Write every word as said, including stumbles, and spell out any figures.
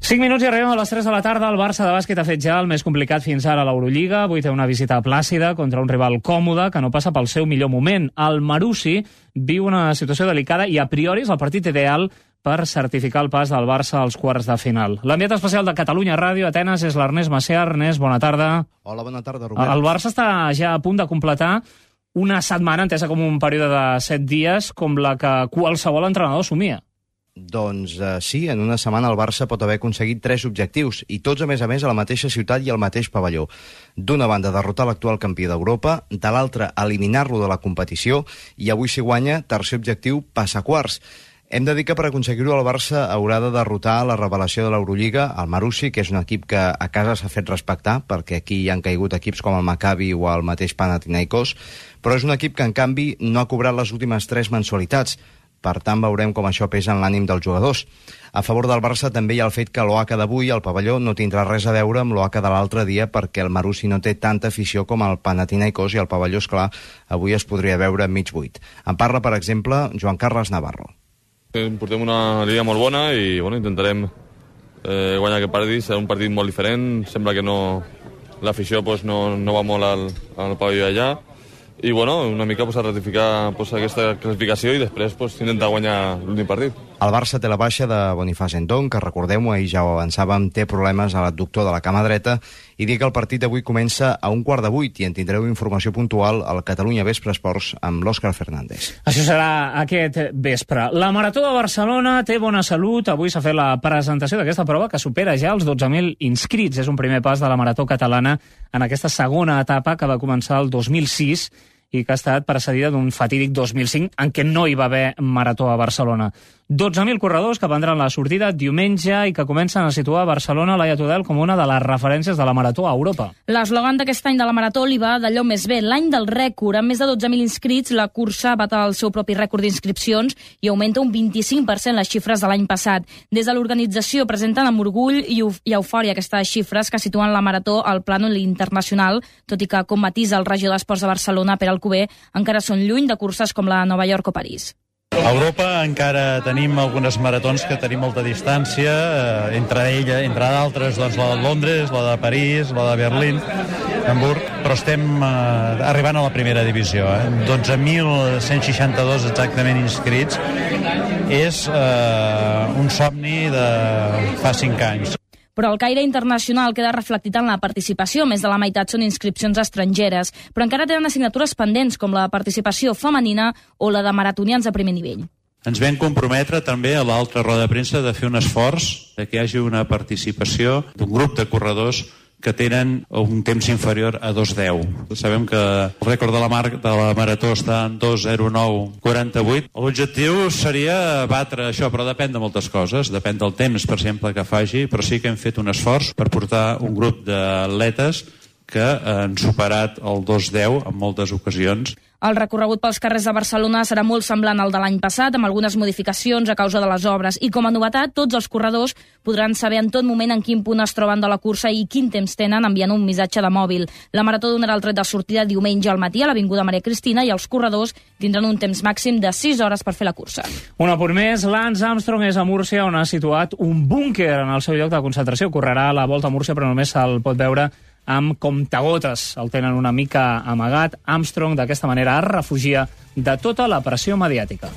cinc minuts i arribem a les tres de la tarda. El Barça de bàsquet ha fet ja el més complicat fins ara a l'Eurolliga. Avui té una visita plàcida contra un rival còmode que no passa pel seu millor moment. El Marussi viu una situació delicada i a priori és el partit ideal per certificar el pas del Barça als quarts de final. L'enviat especial de Catalunya Ràdio a Atenes és l'Ernest Macià. Ernest, bona tarda. Hola, bona tarda, Robert. El Barça està ja a punt de completar una setmana, entesa com un període de set dies, com la que qualsevol entrenador somia. Doncs eh, sí, en una setmana el Barça pot haver aconseguit tres objectius, i tots, a més a més, a la mateixa ciutat i al mateix pavelló. D'una banda, derrotar l'actual campió d'Europa, de l'altra, eliminar-lo de la competició, i avui, si guanya, tercer objectiu, passar quarts. Hem de dir que per aconseguir-ho el Barça haurà de derrotar la revelació de l'Eurolliga, el Marussi, que és un equip que a casa s'ha fet respectar, perquè aquí hi han caigut equips com el Maccabi o el mateix Panathinaikos, però és un equip que, en canvi, no ha cobrat les últimes tres mensualitats. Per tant, veurem com això pesa en l'ànim dels jugadors. A favor del Barça també hi ha el fet que l'O A C d'avui, al pavelló, no tindrà res a veure amb l'O A C de l'altre dia, perquè el Marussi no té tanta afició com el Panathinaikos i el pavelló, esclar, avui es podria veure mig buit. En parla, per exemple, Joan Carles Navarro. Portem una línia molt bona i bueno, intentarem eh, guanyar aquest partit. Serà un partit molt diferent. Sembla que no, l'afició pues, no, no va molt al, al pavelló allà. I bueno, una mica pues, a ratificar pues, aquesta classificació i després pues, intentar guanyar l'últim partit. El Barça té la baixa de Boniface Ndong, que recordem-ho, ahir ja ho avançàvem, té problemes a l'adductor de la cama dreta, i dir que el partit d'avui comença a un quart de vuit i en tindreu informació puntual al Catalunya Vespre Esports amb l'Òscar Fernández. Això serà aquest vespre. La Marató de Barcelona té bona salut. Avui s'ha fet la presentació d'aquesta prova que supera ja els dotze mil inscrits. És un primer pas de la Marató catalana en aquesta segona etapa que va començar el dos mil sis i que ha estat precedida d'un fatídic dos mil cinc en què no hi va haver Marató a Barcelona. dotze mil corredors que prendran la sortida diumenge i que comencen a situar Barcelona, Laia Tudel, com una de les referències de la Marató a Europa. L'eslògan d'aquest any de la Marató li va d'allò més bé, l'any del rècord. Amb més de dotze mil inscrits, la cursa bat el seu propi rècord d'inscripcions i augmenta un vint-i-cinc per cent les xifres de l'any passat. Des de l'organització presenten amb orgull i, i eufòria aquestes xifres que situen la Marató al plànol internacional, tot i que, com matisa el regidor d'Esports de Barcelona, Pere Alcover, encara són lluny de curses com la Nova York o París. A Europa encara tenim algunes maratons que tenim molta distància, eh, entre ella, entre d'altres, doncs, la de Londres, la de París, la de Berlín, Hamburg, però estem eh, arribant a la primera divisió. Eh? dotze mil cent seixanta-dos exactament inscrits. És eh, un somni de fa cinc anys. Però el caire internacional queda reflectit en la participació. Més de la meitat són inscripcions estrangeres, però encara tenen assignatures pendents, com la participació femenina o la de maratonians de primer nivell. Ens vam comprometre també a l'altra roda de premsa de fer un esforç de que hi hagi una participació d'un grup de corredors que tenen un temps inferior a dos deu. Sabem que el rècord de la, mar de la Marató està en dos zero nou quaranta-vuit. L'objectiu seria batre això, però depèn de moltes coses. Depèn del temps, per exemple, que faci, però sí que hem fet un esforç per portar un grup d'atletes que han superat el dos deu en moltes ocasions. El recorregut pels carrers de Barcelona serà molt semblant al de l'any passat, amb algunes modificacions a causa de les obres. I com a novetat, tots els corredors podran saber en tot moment en quin punt es troben de la cursa i quin temps tenen enviant un missatge de mòbil. La Marató donarà el tret de sortida diumenge al matí a l'Avinguda Maria Cristina i els corredors tindran un temps màxim de sis hores per fer la cursa. Un apunt més, Lance Armstrong és a Múrcia, on ha situat un búnquer en el seu lloc de concentració. Correrà a la Volta a Múrcia, però només se'l pot veure amb comptagotes. El tenen una mica amagat. Armstrong, d'aquesta manera, es refugia de tota la pressió mediàtica.